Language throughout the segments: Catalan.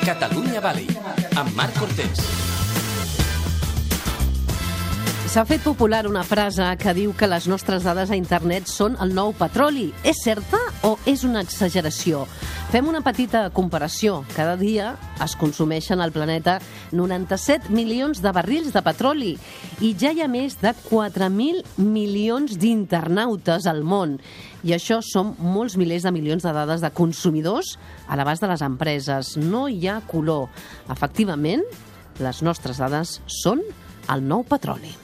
Catalunya Valley, amb Marc Cortés. S'ha fet popular una frase que diu que les nostres dades a internet són el nou petroli. És certa o és una exageració? Fem una petita comparació. Cada dia es consumeixen al planeta 97 milions de barrils de petroli i ja hi ha més de 4.000 milions d'internautes al món. I això són molts milers de milions de dades de consumidors a l'abast de les empreses. No hi ha color. Efectivament, les nostres dades són el nou petroli.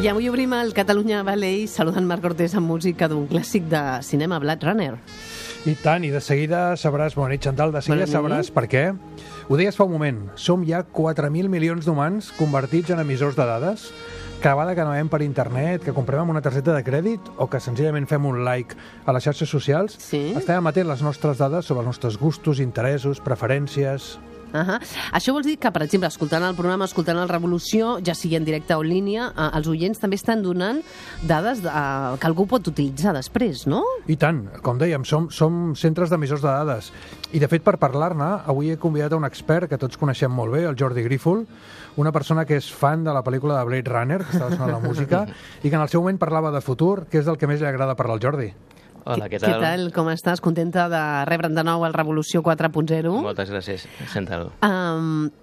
I avui obrim el Catalunya Valley saludant Marc Cortés amb música d'un clàssic de cinema, Blade Runner. I tant, i de seguida sabràs, bona nit, Chantal, de seguida sabràs per què. Ho deies fa un moment, som ja 4.000 milions d'humans convertits en emissors de dades. Cada vegada que navegem per internet, que comprem amb una targeta de crèdit o que senzillament fem un like a les xarxes socials, estem emetent les nostres dades sobre els nostres gustos, interessos, preferències. Això vol dir que, per exemple, escoltant el programa, escoltant el Revolució, ja sigui en directe o en línia, els oients també estan donant dades que algú pot utilitzar després, no? I tant, com dèiem, som centres d'emissors de dades. I, de fet, per parlar-ne, avui he convidat a un expert que tots coneixem molt bé, el Jordi Grífol, una persona que és fan de la pel·lícula de Blade Runner, que estava sonant la música, i que en el seu moment parlava de futur, que és del que més li agrada parlar al Jordi. Hola, què tal? Què tal? Com estàs? Contenta de rebre'n de nou el Revolució 4.0? Moltes gràcies, senta-ho.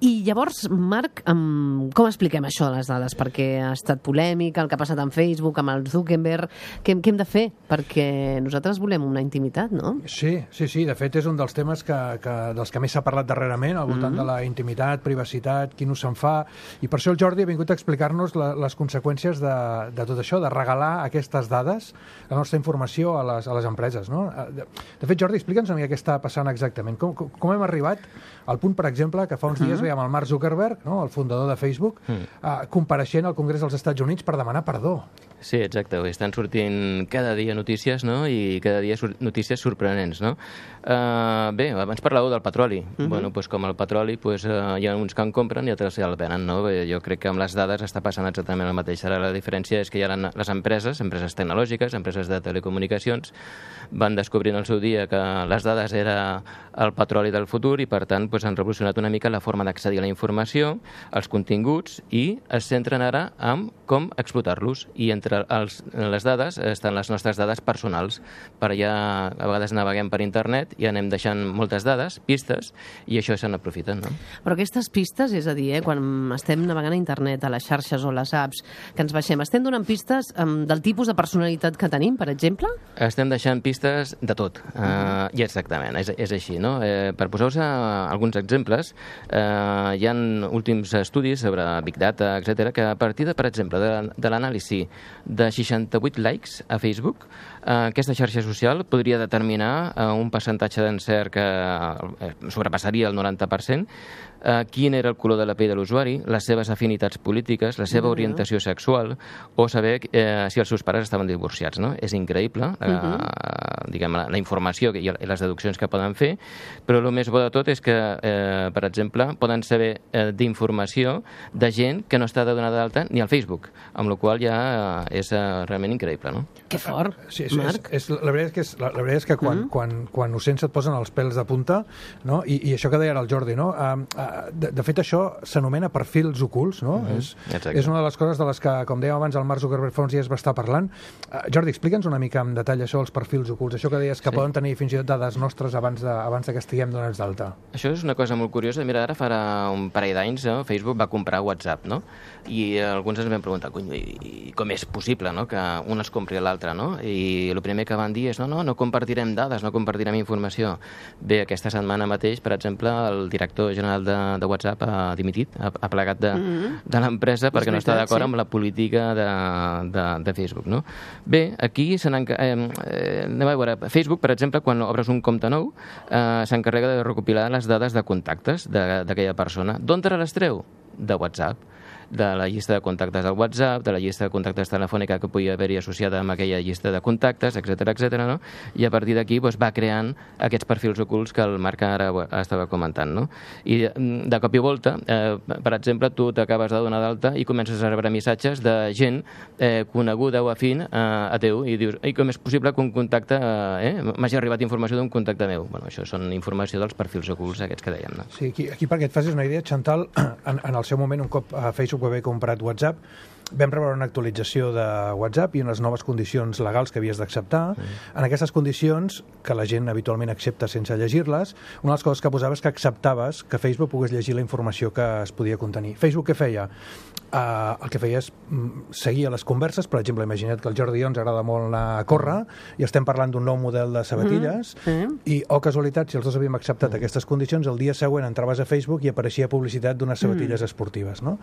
I llavors, Marc, com expliquem això de les dades? Perquè ha estat polèmica, el que ha passat amb Facebook, amb el Zuckerberg. Què hem de fer? Perquè nosaltres volem una intimitat, no? Sí. De fet, és un dels temes dels que més s'ha parlat darrerament, al voltant de la intimitat, privacitat, qui no se'n fa. I per això el Jordi ha vingut a explicar-nos les conseqüències de tot això, de regalar aquestes dades, la nostra informació a les empreses, no? De fet, Jordi, explica'ns una mica què està passant exactament. Com hem arribat al punt, per exemple, que fa uns dies veiem el Mark Zuckerberg, no?, el fundador de Facebook, compareixent al Congrés dels Estats Units per demanar perdó. Sí, exacte. Estan sortint cada dia notícies, no?, i cada dia notícies sorprenents, no? Bé, abans parlàveu del petroli. Bueno, doncs com el petroli, hi ha uns que en compren i altres ja el venen, no? Jo crec que amb les dades està passant exactament el mateix. Ara la diferència és que hi ha les empreses tecnològiques, empreses de telecomunicacions, van descobrint al seu dia que les dades era el petroli del futur i, per tant, han revolucionat una mica la forma d'accedir a la informació, els continguts, i es centren ara en com explotar-los. I entre les dades estan les nostres dades personals. Per allà, a vegades naveguem per internet i anem deixant moltes dades, pistes, i això se n'aprofiten, no? Però aquestes pistes, és a dir, quan estem navegant a internet, a les xarxes o les apps que ens baixem, estem donant pistes del tipus de personalitat que tenim, per exemple? Estem deixant pistes de tot. I exactament, és així, no? Per posar-vos alguns exemples, hi ha últims estudis sobre Big Data, etc., que a partir de, per exemple, de l'anàlisi de 68 likes a Facebook, aquesta xarxa social podria determinar un percentatge d'encert que sobrepassaria el 90%, quin era el color de la pell de l'usuari, les seves afinitats polítiques, la seva orientació sexual, o saber si els seus pares estaven divorciats, no? És increïble, diguem, la informació i les deduccions que poden fer, però el més bo de tot és que, per exemple, poden saber d'informació de gent que no està donada d'alta ni al Facebook, amb la qual ja és realment increïble, no? Que fort, Marc. La veritat és que quan ho sents et posen els pèls de punta, no? I això que deia ara el Jordi, no? De fet, això s'anomena perfils ocults, no? És una de les coses de les que, com dèiem abans, el Mark Zuckerberg fa uns dies va estar parlant. Jordi, explica'ns una mica en detall això dels perfils ocults, això que deies que poden tenir fins i tot dades nostres abans de que estiguem donats d'alta. Això és una cosa molt curiosa. Mira, ara farà un parell d'anys Facebook va comprar WhatsApp, no? I alguns ens vam preguntar, com és possible, no?, que un es compri a l'altre, no? I el primer que van dir és, no compartirem dades, no compartirem informació. Bé, aquesta setmana mateix, per exemple, el director general de WhatsApp ha dimitit, ha plegat de l'empresa perquè no està d'acord amb la política de Facebook, no? Bé, aquí anem a veure, Facebook, per exemple, quan obres un compte nou, s'encarrega de recopilar les dades de contactes d'aquella persona. D'on te les treu? De WhatsApp. de la llista de contactes del WhatsApp, de la llista de contactes telefònica que podia haver-hi associada amb aquella llista de contactes, etc, no? I a partir d'aquí va creant aquests perfils ocults que el Marc ara estava comentant, no? I de cop i volta, per exemple, tu t'acabes de donar d'alta i comences a rebre missatges de gent coneguda o afín a teu i dius, com és possible que un contacte m'hagi arribat informació d'un contacte meu? Bueno, això són informació dels perfils ocults aquests que dèiem, no? Sí, aquí perquè et facis una idea, Chantal, en el seu moment, un cop Facebook va haver comprat WhatsApp, vam rebre una actualització de WhatsApp i unes noves condicions legals que havies d'acceptar. En aquestes condicions, que la gent habitualment accepta sense llegir-les, una de les coses que posava és que acceptaves que Facebook pogués llegir la informació que es podia contenir. Facebook què feia? El que feia és seguir les converses. Per exemple, imagina't que al Jordi ens agrada molt anar a córrer i estem parlant d'un nou model de sabatilles i, casualitat, si els dos havíem acceptat aquestes condicions, el dia següent entraves a Facebook i apareixia publicitat d'unes sabatilles esportives, no?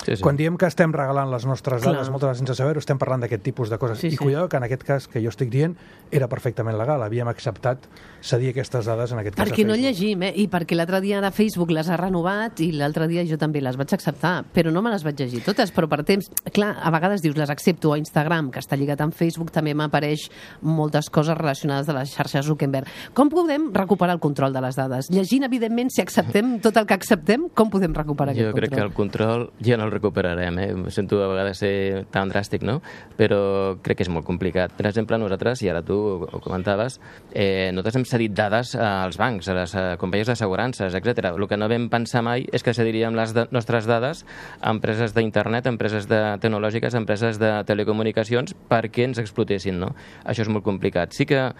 Sí. Quan diem que estem regalant les nostres dades, moltes vegades sense saber-ho, estem parlant d'aquest tipus de coses. I cuidado que en aquest cas que jo estic dient era perfectament legal. Havíem acceptat cedir aquestes dades en aquest cas a perquè Facebook. no llegim, i perquè l'altre dia de Facebook les ha renovat i l'altre dia jo també les vaig acceptar, però no me les vaig llegir totes, però per temps, clar, a vegades dius les accepto a Instagram, que està lligat amb Facebook, també m'apareix moltes coses relacionades de les xarxes Zuckerberg. Com podem recuperar el control de les dades? Llegint, evidentment, si acceptem tot el que acceptem, com podem recuperar aquest control? Jo crec que el control ja no el recuperarem, Em sento a vegades ser tan dràstic, no? Però crec que és molt complicat. Per exemple, nosaltres, i ara tu ho comentaves, nosaltres hem cedit dades als bancs, a les companyies d'assegurances, etc. El que no vam pensar mai és que cediríem les nostres dades a empreses d'internet, empreses tecnològiques, empreses de telecomunicacions, perquè ens explotessin, no? Això és molt complicat. Sí que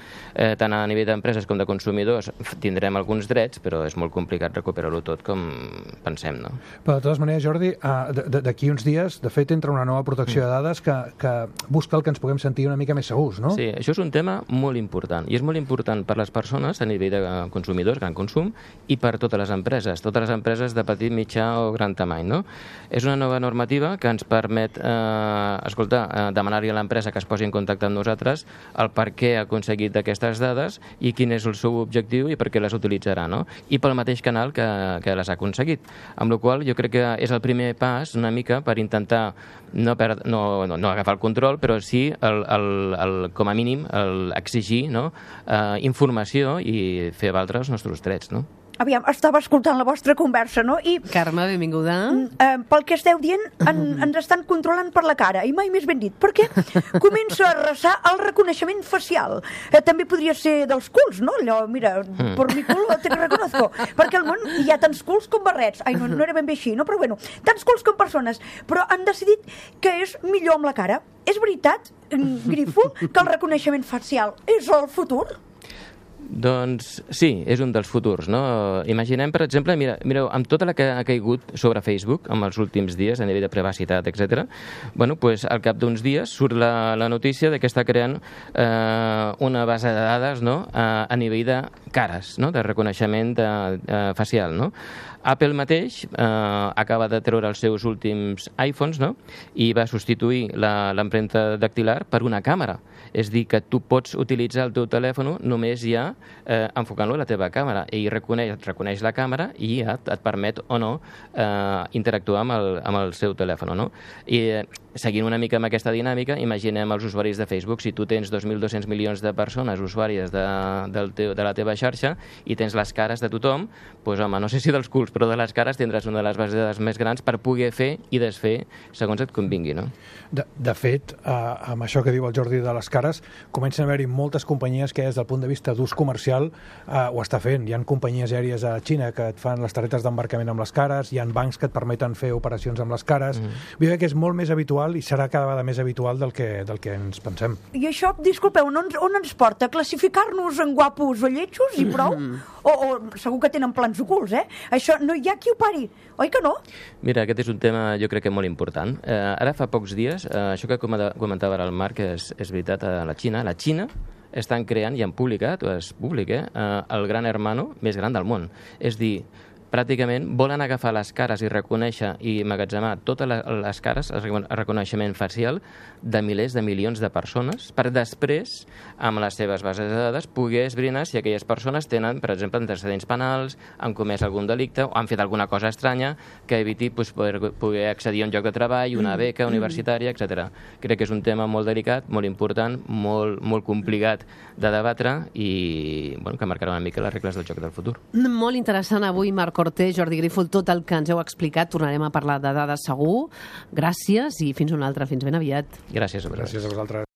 tant a nivell d'empreses com de consumidors tindrem alguns drets, però és molt complicat recuperar-ho tot com pensem, no? Però de totes maneres, Jordi, d'aquí uns dies, de fet, entra una nova protecció de dades que busca el que ens puguem sentir una mica més segurs, no? Sí, això és un tema molt important, i és molt important per les persones a nivell de consumidors, gran consum, i per totes les empreses de petit, mitjà o gran tamany, no? És una nova normativa que ens permet, demanar-li a l'empresa que es posi en contacte amb nosaltres el per què ha aconseguit aquestes dades i quin és el seu objectiu i per què les utilitzarà, no? I pel mateix canal que les ha aconseguit. Amb la qual cosa jo crec que és el primer pas una mica per intentar no agafar el control, però sí, com a mínim, exigir informació i fer valdre els nostres drets, no? Aviam, estava escoltant la vostra conversa, no? I Carme, benvinguda. Pel que esteu dient, ens estan controlant per la cara, i mai més ben dit. Per què? Comença a arrasar el reconeixement facial. També podria ser dels culs, no? Allò, mira, por mi culo te reconozco. Perquè al món hi ha tants culs com barrets. Ai, no era ben bé així, no? Però bueno, tants culs com persones. Però han decidit que és millor amb la cara. És veritat, Grifo, que el reconeixement facial és el futur? Doncs sí, és un dels futurs, no? Imaginem, per exemple, mireu, amb tota la que ha caigut sobre Facebook en els últims dies, a nivell de privacitat, etc., bueno, pues, al cap d'uns dies surt la notícia de que està creant una base de dades, no?, a nivell de cares, no?, de reconeixement facial, no? Apple mateix acaba de treure els seus últims iPhones, no?, i va substituir l'empremta dactilar per una càmera. És dir, que tu pots utilitzar el teu telèfon només ja enfocant-lo a la teva càmera, i reconeix la càmera i ja et permet o no interactuar amb el seu telèfon, no? I seguint una mica amb aquesta dinàmica, imaginem els usuaris de Facebook. Si tu tens 2.200 milions de persones usuàries de la teva xarxa i tens les cares de tothom, doncs home, no sé si dels culs, però de les cares tindràs una de les bases de dades més grans per poder fer i desfer segons et convingui, no? De fet, amb això que diu el Jordi de les cares, comencen a haver-hi moltes companyies que des del punt de vista d'ús comercial ho està fent. Hi ha companyies aèries a Xina que et fan les targetes d'embarcament amb les cares, hi ha bancs que et permeten fer operacions amb les cares. Vull dir que és molt més habitual i serà cada vegada més habitual del que ens pensem. I això, disculpeu, on ens porta? Classificar-nos en guapos o lletjos i prou? O segur que tenen plans ocults, Això no hi ha qui ho pari, oi que no? Mira, aquest és un tema jo crec que molt important. Ara fa pocs dies, això que comentava ara el Marc és veritat, a la Xina estan creant i han publicat, o és públic, el gran hermano més gran del món. És dir, pràcticament volen agafar les cares i reconèixer i emmagatzemar totes les cares, el reconeixement facial de milers de milions de persones, per després, amb les seves bases de dades, poder esbrinar si aquelles persones tenen, per exemple, antecedents penals, han comès algun delicte o han fet alguna cosa estranya que eviti poder accedir a un lloc de treball, una beca universitària, etc. Crec que és un tema molt delicat, molt important, molt complicat de debatre i que marcarà una mica les regles del joc del futur. Molt interessant avui, Marc Cortés, Jordi Grífolt, tot el que ens heu explicat. Tornarem a parlar de dades segur. Gràcies i fins una altra. Fins ben aviat. Gràcies a vosaltres. Gràcies a vosaltres.